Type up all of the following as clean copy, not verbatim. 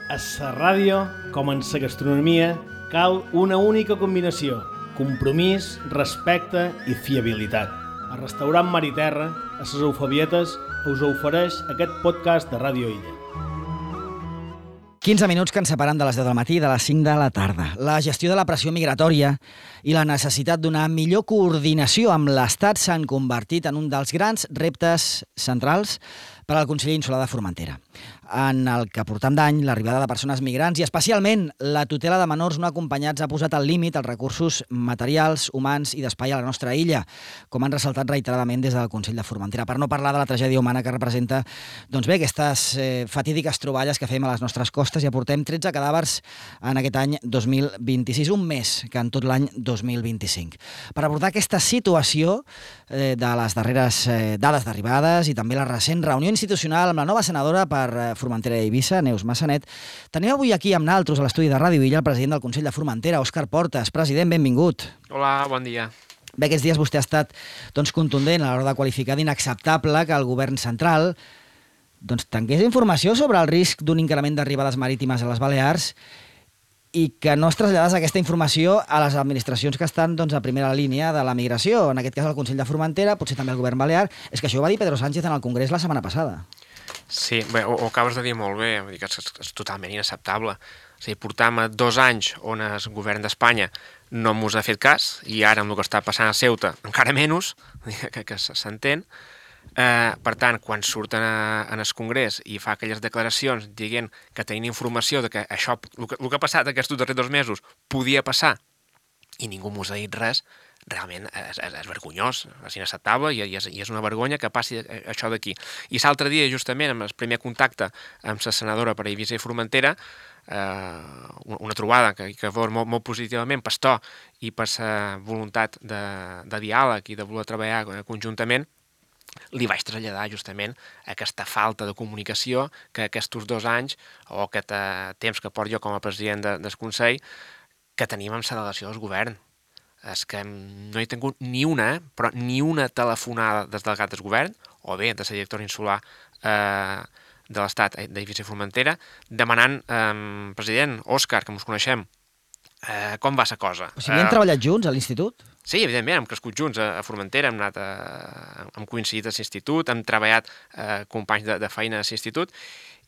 A la ràdio, com en la gastronomia, cal una única combinació: compromís, respecte i fiabilitat. El restaurant Mar i Terra, a les Eufebietes, us ofereix aquest podcast de Ràdio Illa. 15 minuts que ens separen de les 10 del matí i de les 5 de la tarda. La gestió de la pressió migratòria i la necessitat d'una millor coordinació amb l'Estat s'han convertit en un dels grans reptes centrals per al Consell Insular de Formentera, en el que portam d'any l'arribada de persones migrants i especialment la tutela de menors no acompanyats ha posat al límit els recursos materials, humans i d'espai a la nostra illa, com han ressaltat reiteradament des del Consell de Formentera, per no parlar de la tragèdia humana que representa aquestes fatídiques troballes que fem a les nostres costes, i aportem 13 cadàvers en aquest any 2026, un més que en tot l'any 2025. Per abordar aquesta situació de les darreres dades d'arribades i també la recent reunió institucional amb la nova senadora per Formentera i Eivissa, Neus Massanet, tenim avui aquí amb naltros a l'estudi de Ràdio Illa el president del Consell de Formentera, Òscar Portas. President, benvingut. Hola, bon dia. Bé, aquests dies vostè ha estat contundent a l'hora de qualificar d'inacceptable que el govern central tingués informació sobre el risc d'un increment d'arribades marítimes a les Balears i que no es traslladés aquesta informació a les administracions que estan a primera línia de la migració, en aquest cas el Consell de Formentera, potser també el govern balear. És que això ho va dir Pedro Sánchez en el Congrés la setmana passada. Sí, bé, ho acabes de dir molt bé, vull dir que és totalment inacceptable. És a dir, portam 2 anys on el govern d'Espanya no mos ha fet cas, i ara amb el que està passant a Ceuta encara menys, que s'entén. Per tant, quan surten en el Congrés i fa aquelles declaracions dient que tenien informació de que això, el que ha passat aquests darrers 2 mesos podia passar i ningú mos ha dit res, realment és vergonyós, és inacceptable i és una vergonya que passi això d'aquí. I l'altre dia, justament, amb el primer contacte amb la senadora per Eivissa i Formentera, una trobada que veure molt positivament per to i per la voluntat de diàleg i de voler treballar conjuntament, li vaig traslladar justament aquesta falta de comunicació que aquests 2 anys o aquest temps que porto jo com a president del Consell que tenim amb la delegació del govern. És que no he tingut ni una telefonada des del delegats del govern, o bé de la directora insular de l'Estat d'Eivissa i Formentera, demanant, president, Òscar, que ens coneixem, com va la cosa. O sigui, hem treballat junts a l'institut? Sí, evidentment, hem crescut junts a Formentera, hem coincidit a l'institut, hem treballat companys de feina a l'institut,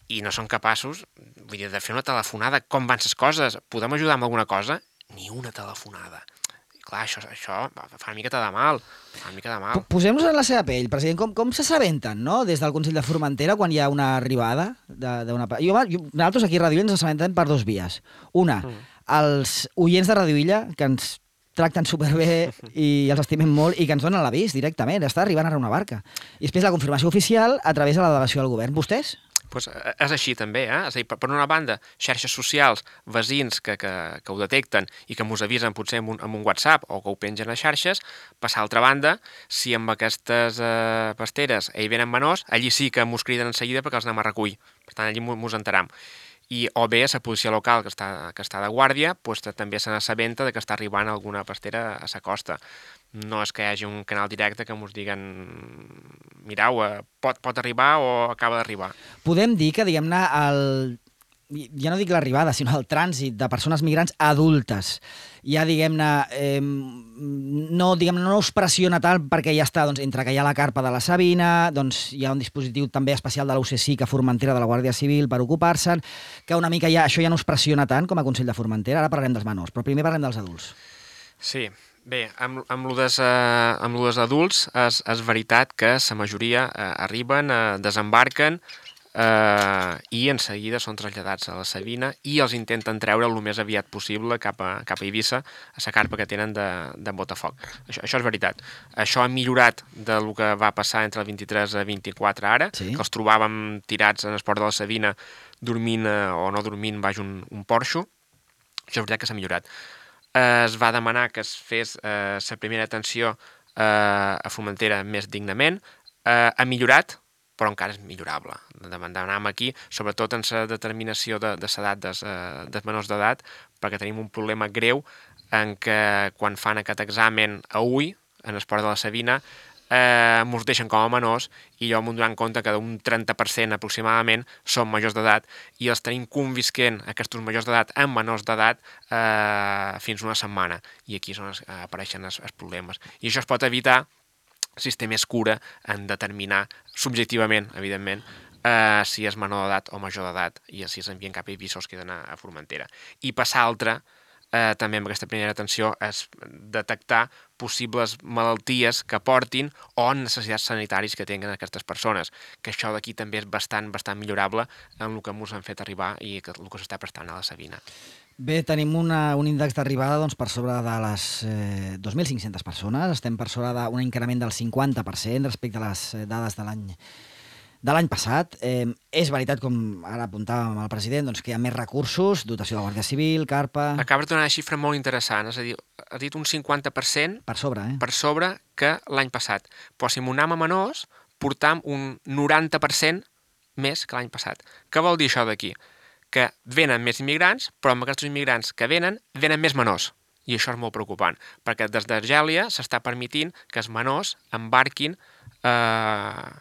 i no són capaços, vull dir, de fer una telefonada, com van les coses, podem ajudar amb alguna cosa? Ni una telefonada. I clar, això fa una miqueta de mal, Posem-nos en la seva pell, president, com s'assabenten, no?, des del Consell de Formentera quan hi ha una arribada d'una... Nosaltres aquí a Ràdio Illa ens assabentem per 2 vies. Una, els oients de Ràdio Illa, que ens tracten superbé i els estimem molt i que ens donen l'avís directament, està arribant ara una barca. I després la confirmació oficial a través de la delegació del govern. Vostès? Pues és així també, És a dir, per una banda, xarxes socials, veïns que ho detecten i que mos avisen potser amb un WhatsApp o que ho pengen a xarxes. Per l'altra banda, si amb aquestes pasteres hi venen menors, allí sí que mos criden en seguida perquè els anem a recollir. Per tant, allí mos enteram. O bé la policia local que està de guàrdia també se n'assabenta que està arribant alguna pastera a la costa. No és que hi hagi un canal directe que ens diguen mireu, pot arribar o acaba d'arribar. Podem dir que, diguem-ne, ja no dic l'arribada, sinó el trànsit de persones migrants adultes, ja, diguem-ne, no us pressiona tant perquè ja està, entre que hi ha la carpa de la Sabina, hi ha un dispositiu també especial de la UCSIC a Formentera de la Guàrdia Civil per ocupar-se'n, que una mica això ja no us pressiona tant com a Consell de Formentera. Ara parlarem dels menors, però primer parlem dels adults. Sí, bé, amb lo dels adults és veritat que la majoria arriben, desembarquen i en seguida són traslladats a la Sabina i els intenten treure el més aviat possible cap a Eivissa, a la carpa que tenen de Botafoc. Això és veritat. Això ha millorat del que va passar entre el 23 i el 24 ara, sí, que els trobàvem tirats en el port de la Sabina dormint o no dormint baix un porxo. Això és veritat que s'ha millorat. Es va demanar que es fes la primera atenció a Formentera més dignament. Ha millorat, però encara és millorable. Demanàvem aquí, sobretot en la determinació de l'edat dels menors d'edat, perquè tenim un problema greu en què quan fan aquest examen a ull, en el port de la Sabina, ens deixen com a menors i jo m'ho donant compte que d'un 30% aproximadament són majors d'edat i els tenim convisquent aquests majors d'edat amb menors d'edat fins una setmana. I aquí és on apareixen els problemes. I això es pot evitar si es té més cura en determinar subjectivament, evidentment, si és menor d'edat o major d'edat i si s'envien cap episodis que queden a Formentera. I passar altra, també amb aquesta primera atenció, és detectar possibles malalties que portin o necessitats sanitaris que tinguin aquestes persones, que això d'aquí també és bastant millorable en el que ens han fet arribar i el que s'està prestant a la Sabina. Bé, tenim un índex d'arribada per sobre de les 2.500 persones. Estem per sobre d'un increment del 50% respecte a les dades de l'any passat. És veritat, com ara apuntàvem al president, que hi ha més recursos, dotació de la Guàrdia Civil, Carpa... Acaba de donar una xifra molt interessant, és a dir, ha dit un 50% per sobre, per sobre que l'any passat. Però si m'ho anem a menors, portam un 90% més que l'any passat. Què vol dir això d'aquí? Que venen més immigrants, però amb aquests immigrants que venen més menors. I això és molt preocupant, perquè des d'Argèlia s'està permitint que els menors embarquin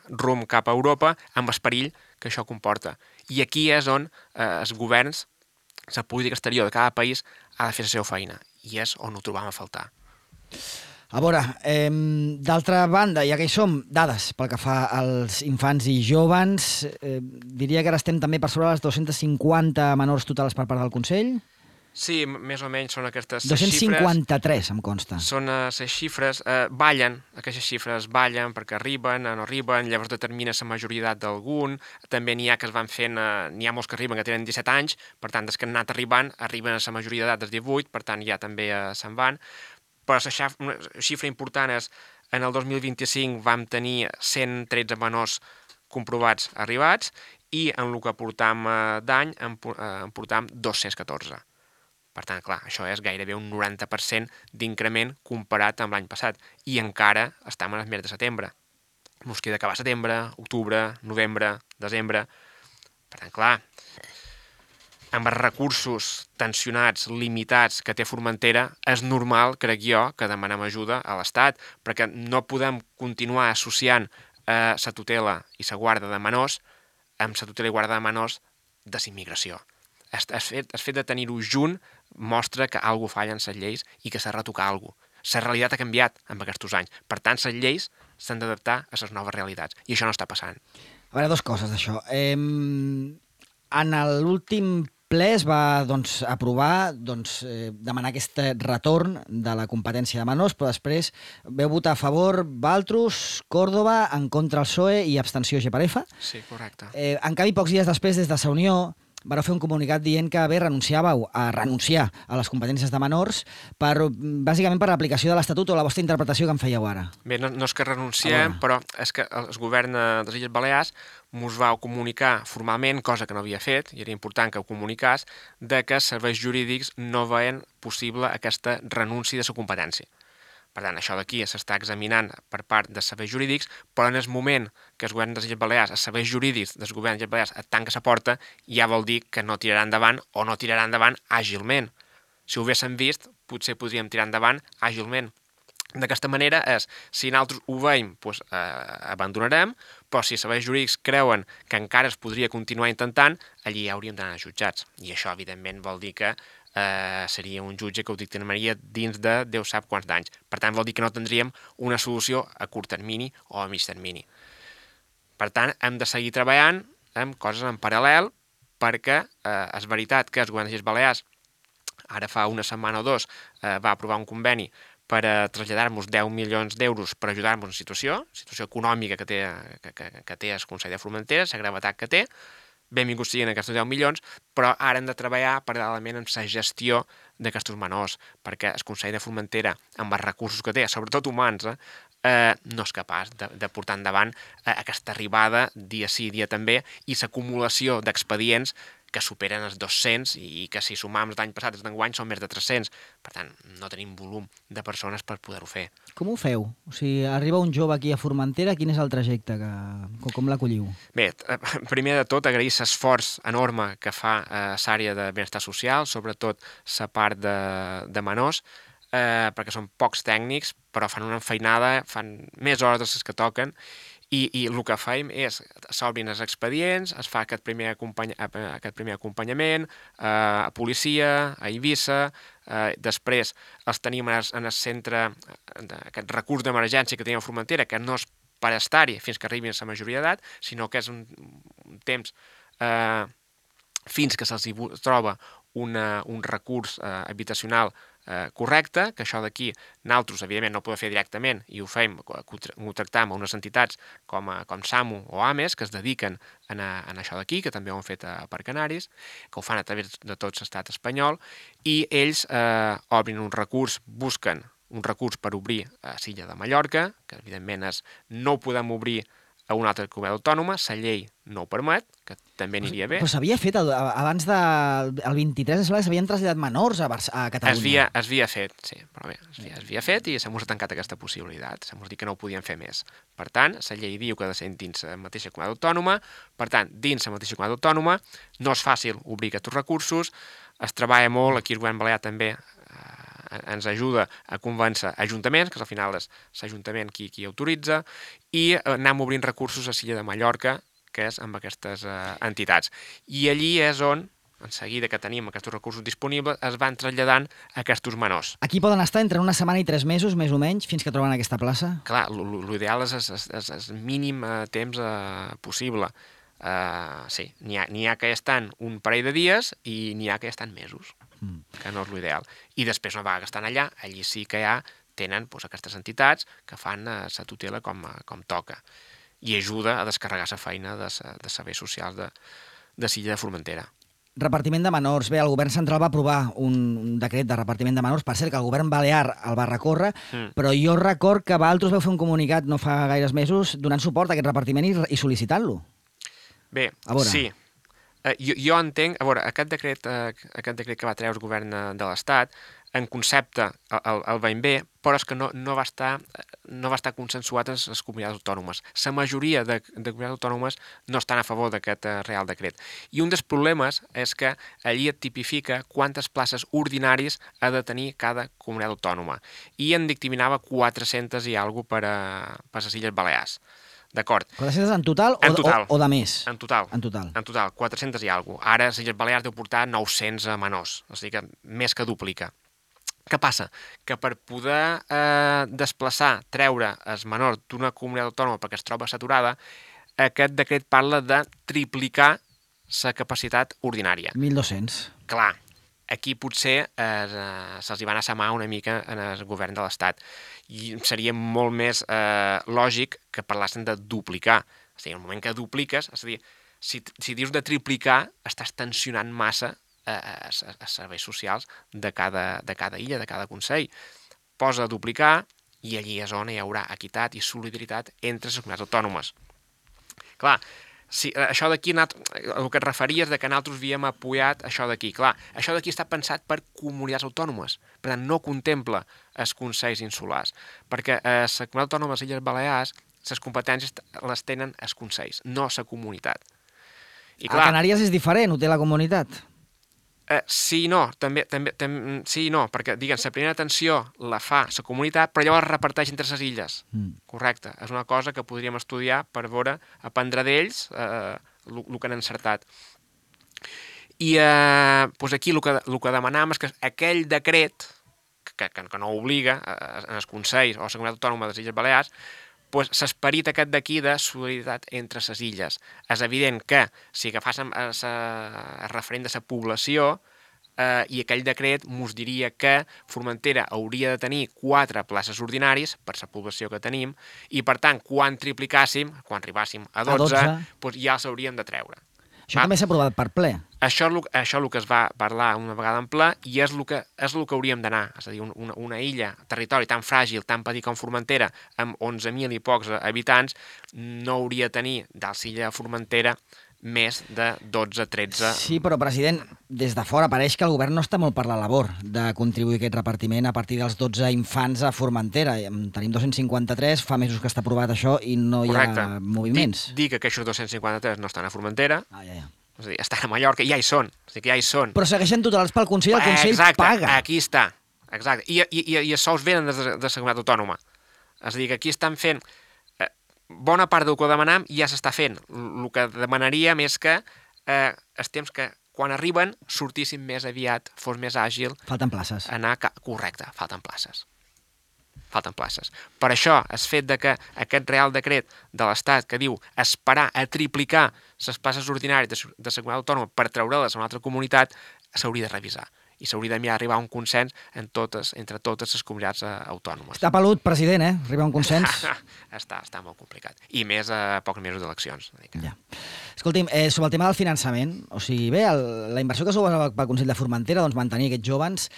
rumb cap a Europa amb el perill que això comporta. I aquí és on els governs, la política exterior de cada país ha de fer la seva feina, i és on ho trobam a faltar. A veure, d'altra banda, ja que hi som, dades pel que fa als infants i joves, diria que ara estem també per sobre les 250 menors totals per part del Consell? Sí, més o menys són aquestes 253, em consta. Són les xifres, ballen, aquestes xifres ballen perquè arriben, no arriben, llavors determina la majoria d'edat d'algun, també n'hi ha que es van fent, n'hi ha molts que arriben que tenen 17 anys, per tant, des que han anat arribant a la majoria d'edat dels 18, per tant, ja també se'n van, però la xifra important és, en el 2025 vam tenir 113 menors comprovats arribats i en el que portam d'any en portam 214. Per tant, clar, això és gairebé un 90% d'increment comparat amb l'any passat. I encara estem en el mes de setembre. Ens queda acabar setembre, octubre, novembre, desembre. Per tant, clar, amb els recursos tensionats, limitats que té Formentera, és normal, crec jo, que demanem ajuda a l'Estat, perquè no podem continuar associant la tutela i la guarda de menors amb la tutela i guarda de menors de la immigració. El fet de tenir-ho junt mostra que alguna cosa falla en les lleis i que s'ha de retocar alguna cosa. La realitat ha canviat en aquests anys. Per tant, les lleis s'han d'adaptar a les noves realitats. I això no està passant. A veure, dues coses d'això. En l'últim ple es va aprovar demanar aquest retorn de la competència de menors, però després veu votar a favor Valtros, Córdoba, en contra el PSOE i abstenció GPRF. Sí, correcte. En canvi, pocs dies després, des de Sa Unió, vareu fer un comunicat dient que renunciàveu a renunciar a les competències de menors bàsicament per l'aplicació de l'Estatut o la vostra interpretació que en fèieu ara. Bé, no és que renunciem, però és que el govern de les Illes Balears mos va comunicar formalment, cosa que no havia fet, i era important que ho comunicàs, de que els serveis jurídics no veien possible aquesta renúncia de la competència. Per tant, això d'aquí s'està examinant per part dels serveis jurídics, però en el moment que el govern de les Illes Balears, els serveis jurídics del govern de les Illes Balears et tanca la porta, ja vol dir que no tirarà endavant o no tirarà endavant àgilment. Si ho haguéssim vist, potser podríem tirar endavant àgilment. D'aquesta manera és, si nosaltres ho veiem, doncs abandonarem, però si els serveis jurídics creuen que encara es podria continuar intentant, allí ja hauríem d'anar jutjats. I això, evidentment, vol dir que seria un jutge que ho dictaminaria dins de Déu sap quants d'anys. Per tant, vol dir que no tindríem una solució a curt termini o a mig termini. Per tant, hem de seguir treballant amb coses en paral·lel perquè és veritat que el govern de les Illes Balears ara fa una setmana o dos va aprovar un conveni per traslladar-nos 10 milions d'euros per ajudar-nos en situació econòmica que té el Consell de Formentera, la gravetat que té. Benvinguts siguin aquests 10 milions, però ara hem de treballar paral·lelament en la gestió d'aquests menors, perquè el Consell de Formentera, amb els recursos que té, sobretot humans, no és capaç de portar endavant aquesta arribada dia sí, dia també, i l'acumulació d'expedients que superen els 200 i que si sumam l'any passat i d'enguany són més de 300. Per tant, no tenim volum de persones per poder-ho fer. Com ho feu? O sigui, arriba un jove aquí a Formentera, quin és el trajecte? Com l'acolliu? Bé, primer de tot, agrair l'esforç enorme que fa l'àrea de benestar social, sobretot la part de menors. perquè són pocs tècnics, però fan una enfeinada, fan més hores de les que toquen, i el que fem és, s'obrin els expedients, es fa aquest primer acompanyament a policia, a Eivissa, després els tenim en el centre, aquest recurs d'emergència que tenim a Formentera, que no és per estar-hi fins que arribin a la majoria d'edat, sinó que és un temps fins que se'ls troba un recurs habitacional correcte, que això d'aquí nosaltres, evidentment, no ho podem fer directament i ho fem, ho tractam a unes entitats com SAMU o AMES, que es dediquen a això d'aquí, que també ho han fet per Canaris, que ho fan a través de tot l'estat espanyol, i ells obrin un recurs, busquen un recurs per obrir a l'illa de Mallorca, que evidentment no ho podem obrir a una altra comunitat autònoma, la llei no ho permet, que també aniria bé. Però s'havia fet, abans del 23 de setembre, s'havien traslladat menors a Catalunya. Es havia fet, sí, però bé, es havia fet i se m'ha tancat aquesta possibilitat, se m'ha dit que no ho podien fer més. Per tant, la llei diu que ha de ser dins la mateixa comunitat autònoma, per tant, dins la mateixa comunitat autònoma no és fàcil obrir aquests recursos, es treballa molt, aquí el govern balear també ens ajuda a convèncer ajuntaments, que al final és l'Ajuntament qui autoritza, i anem obrint recursos a l'illa de Mallorca, que és amb aquestes entitats. I allí és on, en seguida que tenim aquests recursos disponibles, es van traslladant aquests menors. Aquí poden estar entre una setmana i 3 mesos, més o menys, fins que troben aquesta plaça? Clar, l'ideal és el mínim temps possible. Sí, n'hi ha que estan un parell de dies i n'hi ha que estan mesos, que no és l'ideal. I després, una vegada que estan allà, allí sí que ja tenen aquestes entitats que fan la tutela com toca i ajuda a descarregar la feina de serveis socials de l'illa de Formentera. Repartiment de menors. Bé, el govern central va aprovar un decret de repartiment de menors. Per cert, que el govern balear el va recórrer, però jo record que vosaltres vau fer un comunicat no fa gaires mesos donant suport a aquest repartiment i sol·licitant-lo. Bé, sí. Jo entenc, a veure, aquest decret que va treure el govern de l'Estat, en concepte el veiem bé, però és que no va estar consensuat en les comunitats autònomes. La majoria de comunitats autònomes no estan a favor d'aquest Real Decret. I un dels problemes és que allí et tipifica quantes places ordinaris ha de tenir cada comunitat autònoma. I en dictaminava 400 i alguna cosa per les Illes Balears. D'acord. 400 en total o de més? En total. En total. En total, 400 i alguna cosa. Ara les Illes Balears deu portar 900 menors, o sigui que més que duplica. Què passa? Que per poder desplaçar, treure els menors d'una comunitat autònoma perquè es troba saturada, aquest decret parla de triplicar la capacitat ordinària. 1.200. Clar, aquí potser se'ls hi va anar a mà una mica en el govern de l'Estat. I seria molt més lògic que parlassin de duplicar. O sigui, en el moment que dupliques, és a dir, si dius de triplicar, estàs tensionant massa a serveis socials de cada illa, de cada consell. Posa a duplicar i allí és on hi haurà equitat i solidaritat entre les comunitats autònomes. Clar, això d'aquí, el que et referies de que nosaltres havíem apoyat això d'aquí. Clar, això d'aquí està pensat per comunitats autònomes, per tant no contempla els consells insulars, perquè a la comunitat autònoma de les Illes Balears les competències les tenen els consells, no la comunitat. A Canàries és diferent, ho té la comunitat? Sí i no, també sí i no, perquè, diguem, la primera atenció la fa la comunitat, però llavors es reparteix entre les illes. Correcte. És una cosa que podríem estudiar per veure, aprendre d'ells el que han encertat. I aquí el que demanàvem és que aquell decret, que no obliga en els consells o a la comunitat autònoma de les Illes Balears, l'esperit aquest d'aquí de solidaritat entre les illes. És evident que si agafàssim el referent de la població i aquell decret ens diria que Formentera hauria de tenir 4 places ordinaris per la població que tenim i, per tant, quan triplicàssim, quan arribàssim a 12, ja els hauríem de treure. Això també s'ha aprovat per ple. Això és el que es va parlar una vegada en ple i és el que hauríem d'anar. És a dir, una illa, territori tan fràgil, tan petit com Formentera, amb 11.000 i pocs habitants, no hauria de tenir de l'illa de Formentera més de 12-13... Sí, però, president, des de fora pareix que el govern no està molt per la labor de contribuir a aquest repartiment a partir dels 12 infants a Formentera. Tenim 253, fa mesos que està aprovat això i no hi ha moviments. Dic que aquests 253 no estan a Formentera, ja. És a dir, estan a Mallorca i ja hi són. O sigui que ja hi són. Però segueixen tutelats pel Consell, el Consell paga. Aquí està. Exacte, i els sous venen de la Comunitat Autònoma. És a dir, que aquí estan fent bona part del que demanam ja s'està fent. El que demanaríem és que els temps que quan arriben sortissin més aviat, fos més àgil. Falten places. Correcte, falten places. Per això, el fet de que aquest Real Decret de l'Estat que diu esperar a triplicar les places ordinàries de la Comunitat Autònoma per treure-les a una altra comunitat, s'hauria de revisar. I s'hauria de mirar arribar a un consens entre totes les comunitats autònomes. Està pelut, president, arribar a un consens. Està molt complicat. I més a pocs mesos d'eleccions. Ja. Escolti'm, sobre el tema del finançament, o sigui, bé, la inversió que s'ho va pel Consell de Formentera, doncs mantenir aquests jóvens,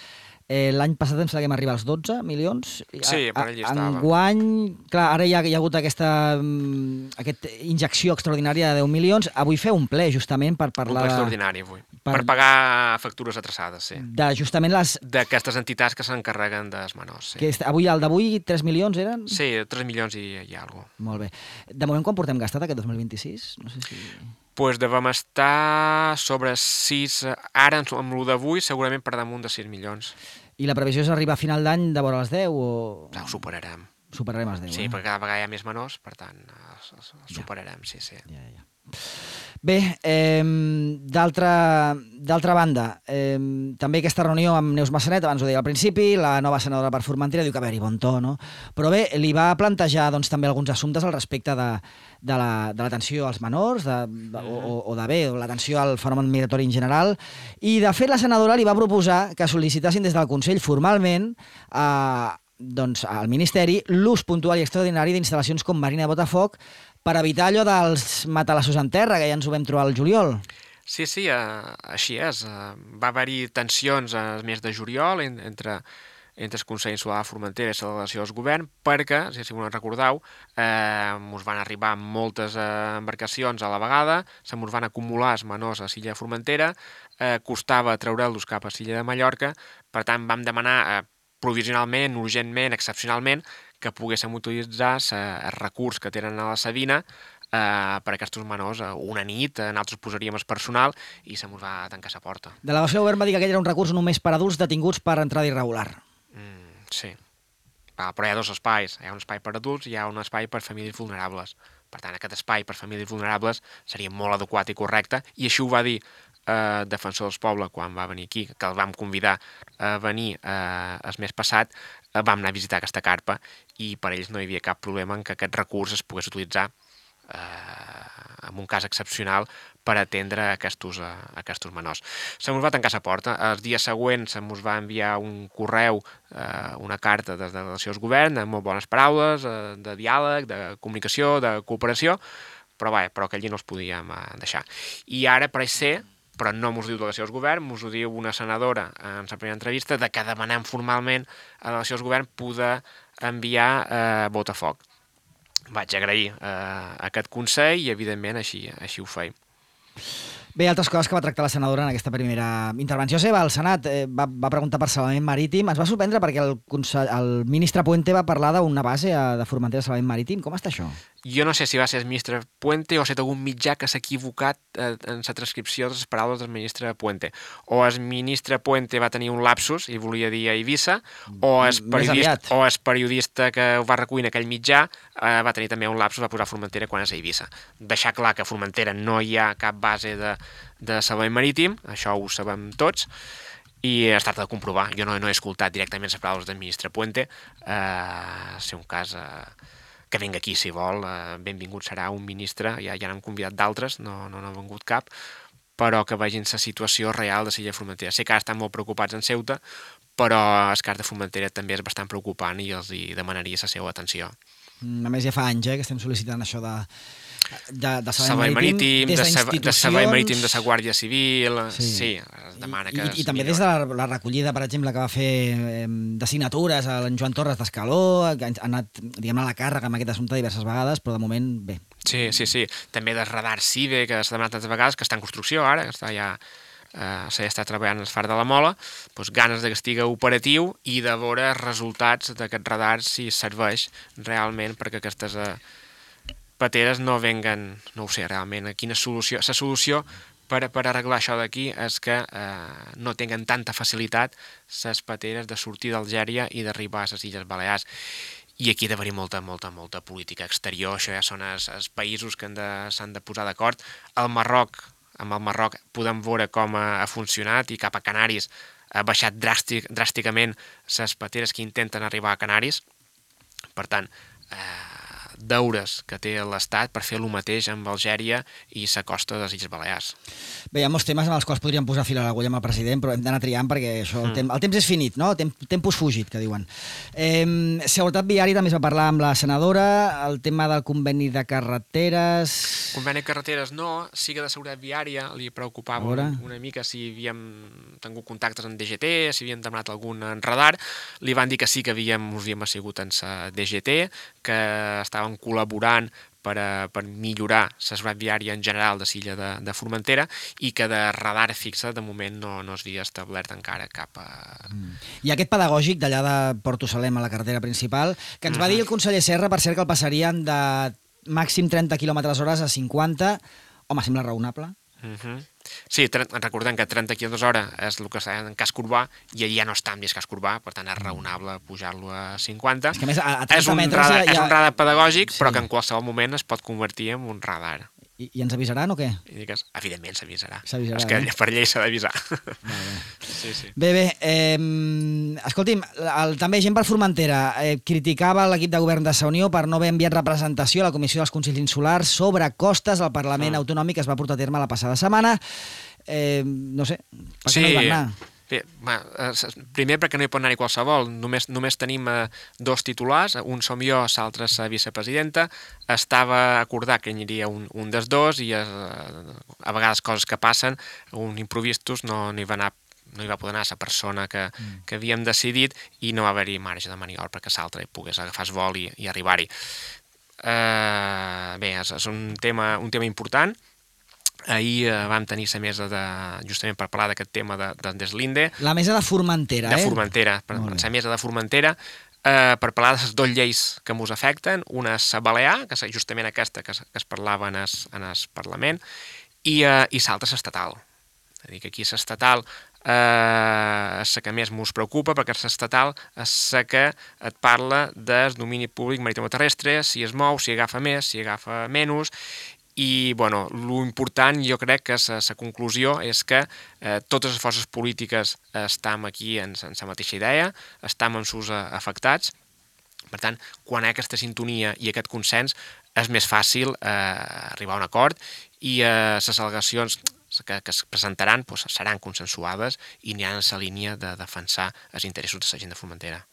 l'any passat em sembla que hem arribat als 12 milions. Sí, per allà estava. Enguany, clar, ara hi ha hagut aquesta injecció extraordinària de 10 milions. Avui feu un ple, justament, per parlar... Un ple extraordinari, avui. Per pagar factures atrasades, sí. Justament d'aquestes entitats que s'encarreguen dels menors, sí. El d'avui 3 milions eren? Sí, 3 milions i alguna cosa. Molt bé. De moment, quan portem gastat aquest 2026? No sé si... Doncs devem estar sobre 6... Ara, amb el d'avui, segurament per damunt de 6 milions. I la previsió és arribar a final d'any de vora els 10 o...? No, ho superarem. Superarem els 10, sí, perquè cada vegada hi ha més menors, per tant, superarem, sí. Ja. Bé, d'altra banda, també aquesta reunió amb Neus Massanet, abans ho deia al principi, la nova senadora per Formentera diu que haver-hi bon to, no? Però bé, li va plantejar doncs, també alguns assumptes al respecte de l'atenció als menors o l'atenció al fenomen migratori en general, i de fet la senadora li va proposar que sol·licitassin des del Consell formalment al Ministeri l'ús puntual i extraordinari d'instal·lacions com Marina de Botafoc per evitar allò dels matalassos en terra, que ja ens ho vam trobar al juliol. Sí, així és. Va haver-hi tensions al mes de juliol entre el Consell Insular de Formentera i la delegació del govern, perquè, si us recordeu, ens van arribar moltes embarcacions a la vegada, se mos van acumular els menors a l'illa de Formentera, costava treure'ls cap a l'illa de Mallorca, per tant vam demanar provisionalment, urgentment, excepcionalment, que poguéssim utilitzar el recurs que tenen a la Sabina per a aquests menors una nit, nosaltres posaríem el personal i se mos va tancar la porta. De la delegació del govern va dir que aquell era un recurs només per adults detinguts per entrada irregular. Sí, però hi ha dos espais. Hi ha un espai per adults i hi ha un espai per famílies vulnerables. Per tant, aquest espai per famílies vulnerables seria molt adequat i correcte, i així ho va dir Defensor del Poble quan va venir aquí, que el vam convidar a venir el mes passat. Vam anar a visitar aquesta carpa i per ells no hi havia cap problema en que aquest recurs es pogués utilitzar en un cas excepcional per atendre aquests menors. Se mos va tancar la porta. El dia següent se mos va enviar un correu, una carta des de la delegació del govern, amb molt bones paraules, de diàleg, de comunicació, de cooperació, però que allí no els podíem deixar. I ara pareix ser, però no mos diu delegació del govern, mos ho diu una senadora en la primera entrevista, de que demanem formalment a la delegació del govern poder enviar Botafoc. Vaig agrair aquest consell i, evidentment, així ho feim. Bé, altres coses que va tractar la senadora en aquesta primera intervenció seva al Senat. Va preguntar per salvament marítim. Ens va sorprendre perquè el ministre Puente va parlar d'una base de Formentera de salvament marítim. Com està això? Jo no sé si va ser el ministre Puente o ha estat algun mitjà que s'ha equivocat en la transcripció de les paraules del ministre Puente. O el ministre Puente va tenir un lapsus i volia dir a Eivissa, o el periodista que ho va recollir en aquell mitjà va tenir també un lapsus, va posar Formentera quan és a Eivissa. Deixar clar que a Formentera no hi ha cap base de salvament marítim, això ho sabem tots, i es tracta de comprovar. Jo no he escoltat directament les paraules del ministre Puente. Si un cas... que vingui aquí, si vol, benvingut serà un ministre, ja n'hem convidat d'altres, no n'ha vingut cap, però que vegin la situació real de l'illa de Formentera. Sé que ara estan molt preocupats en Ceuta, però el cas de Formentera també és bastant preocupant i els demanaria la seva atenció. A més, ja fa anys que estem sol·licitant això de salvament marítim, de servei marítim de la Guàrdia Civil, sí, es demana que... I també des de la recollida, per exemple, que va fer de signatures a en Joan Torres d'Escaló, que ha anat, diguem-ne, a la càrrega amb aquest assumpte diverses vegades, però de moment, bé. Sí. També del radar CIVE, que s'ha demanat tantes vegades, que està en construcció ara, que està ja... s'ha estat treballant al far de la Mola, doncs ganes que estigui operatiu i de veure els resultats d'aquest radar si serveix realment perquè aquestes pateres no venguen, no ho sé realment, a quina solució. La solució per arreglar això d'aquí és que no tinguen tanta facilitat les pateres de sortir d'Algèria i d'arribar a les Illes Balears. I aquí ha d'haver-hi molta política exterior, això ja són els països que s'han de posar d'acord. Amb el Marroc podem veure com ha funcionat i cap a Canaris ha baixat dràsticament les pateres que intenten arribar a Canaris. Per tant, deures que té l'Estat per fer el mateix amb Algèria i la costa de les Illes Balears. Bé, hi ha molts temes amb els quals podríem posar fil a l'agulla amb el president, però hem d'anar triant perquè això, el temps és finit, no? Tempus fugit, que diuen. Seguretat viària també es va parlar amb la senadora, el tema del conveni de carreteres... Conveni de carreteres no, sí que de seguretat viària li preocupava una mica si havíem tingut contactes amb DGT, si havíem demanat algun radar. Li van dir que sí que us havíem assigut en la DGT, que estaven col·laborant per millorar la seguretat viària en general de l'illa de Formentera i que de radar fixa de moment no es havia establert encara cap a... I aquest pedagògic d'allà de Porto Salem a la carretera principal, que ens va dir el conseller Serra, per cert, que el passarien de màxim 30 km/h a 50, home, sembla raonable. Sí, recordem que 30 km/h és el que està en casc urbà i allà no està en casc urbà, per tant és raonable pujar-lo a 50. És que a més, a 30 metres és un radar pedagògic, sí, però que en qualsevol moment es pot convertir en un radar. I ens avisaran o què? I digues, evidentment s'avisarà. És que per llei s'ha d'avisar. Sí. Bé, escolti'm, també gent per Formentera criticava l'equip de govern de Sa Unió per no haver enviat representació a la Comissió dels Consells Insulars sobre costes al Parlament Autonòmic que es va portar a terme la passada setmana. No sé, per què no hi van anar? Bé, primer perquè no hi pot anar-hi qualsevol, només tenim dos titulars, un som jo, l'altre és la vicepresidenta, estava acordat que hi aniria un dels dos i a vegades coses que passen, un improvistos no hi va poder anar la persona que havíem decidit i no va haver-hi marge de maniobra perquè l'altre pogués agafar el vol i arribar-hi. Bé, és un tema important. Ahir vam tenir la mesa justament per parlar d'aquest tema de Deslinde. La mesa de Formentera, De Formentera, la mesa de Formentera, per parlar de les dues lleis que ens afecten. Una és la Balear, que és justament aquesta que es parlava en el Parlament, i l'altra és l'estatal. És a dir, que aquí l'estatal és la que més ens preocupa, perquè l'estatal és la que et parla del domini públic maritimoterrestre, si es mou, si agafa més, si agafa menys. I, bueno, l'important, jo crec que la conclusió és que totes les forces polítiques estem aquí en la mateixa idea, estem en sus afectats. Per tant, quan hi ha aquesta sintonia i aquest consens, és més fàcil arribar a un acord i les al·legacions que es presentaran seran consensuades i aniran en la línia de defensar els interessos de la gent de Formentera.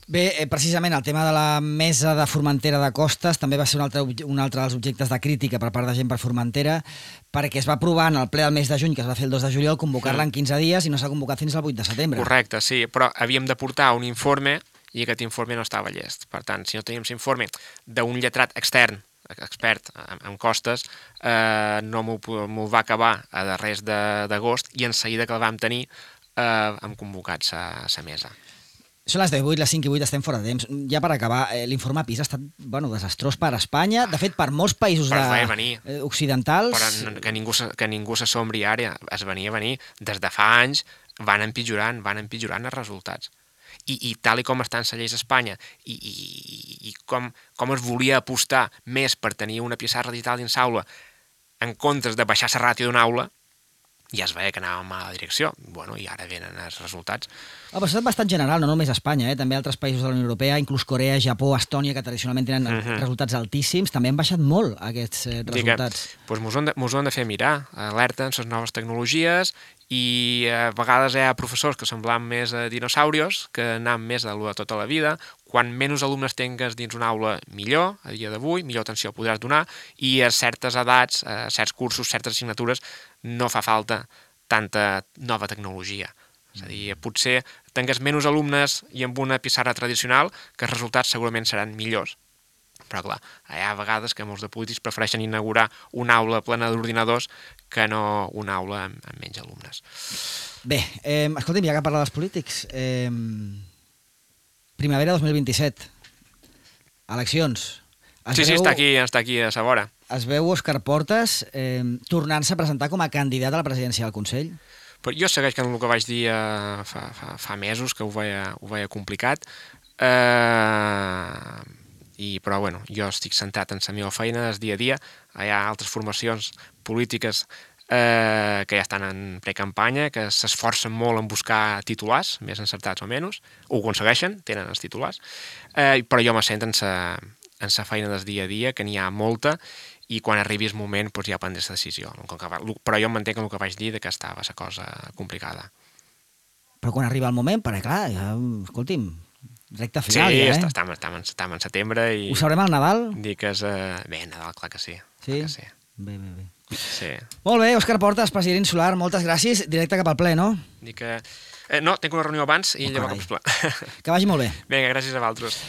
Bé, precisament el tema de la mesa de Formentera de Costes també va ser un altre dels objectes de crítica per part de gent per Formentera, perquè es va aprovar en el ple del mes de juny, que es va fer el 2 de juliol, convocar-la en 15 dies i no s'ha convocat fins al 8 de setembre. Correcte, sí, però havíem de portar un informe i aquest informe no estava llest. Per tant, si no teníem l'informe d'un lletrat extern, expert en costes, no m'ho va acabar a darrers d'agost i en seguida que el vam tenir hem convocat la mesa. Són les 10:08, les 5:08, estem fora de temps. Ja per acabar, l'informe PISA ha estat desastrós per Espanya, de fet per molts països occidentals. Però que ningú s'assombri ara, es venia a venir. Des de fa anys van empitjorant els resultats. I tal com estan les lleis a Espanya i com es volia apostar més per tenir una pissarra digital dins l'aula en comptes de baixar la ràtio d'una aula, ja es veia que anàvem a la direcció. Bueno, i ara venen els resultats. Però ha estat bastant general, no només a Espanya, també altres països de la Unió Europea, inclús Corea, Japó, Estònia, que tradicionalment tenen resultats altíssims, també han baixat molt aquests resultats. Doncs ens ho han de fer mirar, alerten les noves tecnologies i a vegades hi ha professors que semblen més dinosaurios, que anant més de tota la vida. Quan menys alumnes tingues dins una aula, millor, a dia d'avui, millor atenció podràs donar, i a certes edats, a certs cursos, certes assignatures, no fa falta tanta nova tecnologia. És a dir, potser tingues menys alumnes i amb una pissarra tradicional, que els resultats segurament seran millors. Però, clar, hi ha vegades que molts de polítics prefereixen inaugurar una aula plena d'ordinadors que no una aula amb menys alumnes. Bé, escolta'm, ja que parla dels polítics, primavera 2027, eleccions. Sí, està aquí a sa vora. es veu Òscar Portas tornant-se a presentar com a candidat a la presidència del Consell? Però jo segueix que el que vaig dir fa mesos, que ho veia complicat, però bueno, jo estic centrat en la meva feina del dia a dia. Hi ha altres formacions polítiques que ja estan en precampanya, que s'esforcen molt en buscar titulars, més encertats o menys, ho aconsegueixen, tenen els titulars, però jo me sento en la feina del dia a dia, que n'hi ha molta, i quan arribi el moment ja prendré la decisió. Però jo em mantenc en el que vaig dir, que estava la cosa complicada. Però quan arriba el moment, perquè clar, ja, escolti'm, recte final, sí, ja, estem en setembre i... Ho sabrem al Nadal? Dic que és... Bé, Nadal, clar que sí. Sí? Que sí. Bé. Sí. Molt bé, Òscar Portas, president Solar, moltes gràcies. Directe cap al ple, no? Dic que... No, tinc una reunió abans i llavors cap al ple. Que vagi molt bé. Vinga, gràcies a vosaltres.